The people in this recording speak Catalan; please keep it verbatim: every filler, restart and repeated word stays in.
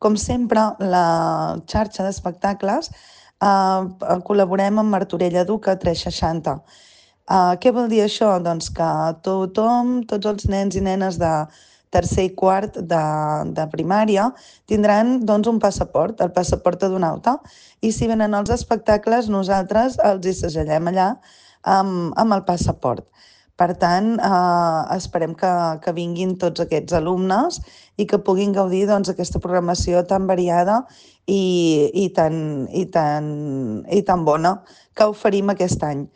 Com sempre, la xarxa d'espectacles eh, col·laborem amb Martorell Educa tres seixanta. Uh, què vol dir això? Doncs que tothom, tots els nens i nenes de tercer i quart de, de primària tindran doncs, un passaport, el passaport adonauta, i si venen als espectacles nosaltres els hi segellem allà amb, amb el passaport. Per tant, eh, esperem que, que vinguin tots aquests alumnes i que puguin gaudir doncs, aquesta programació tan variada i, i, tan, i, tan, i tan bona que oferim aquest any.